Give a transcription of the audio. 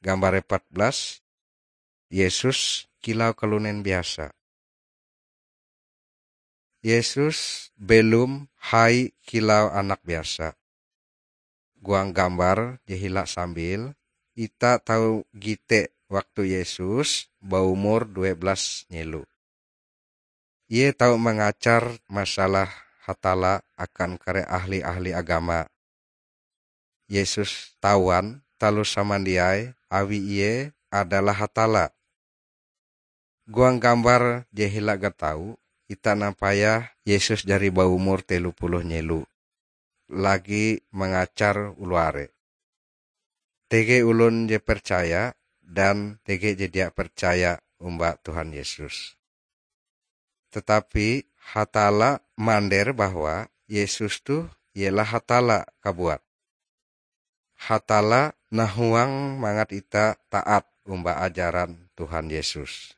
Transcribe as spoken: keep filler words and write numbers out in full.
Gambar empat belas, Yesus kilau kalunen biasa. Yesus belom hai kilau anak biasa. Huang gambar je hila sambil, ita tau gite waktu Yesus baumur due belas nyelo. Ie tau mangajar masalah Hatalla akan kare ahli-ahli agama. Yesus tawan taloh samandiai awi Ie adalah Hatalla. Huang gambar je hila gatau, ita nampayah Yesus jari baumur telo puluh nyelo, lagi mangajar oloh are. Tege olon je percaya dan tege je dia percaya omba Tuhan Yesus. Tetapi Hatalla mander bahwa Yesus toh ialah Hatalla kabuat. Hatalla nahuang mangat ita taat omba ajaran Tuhan Yesus.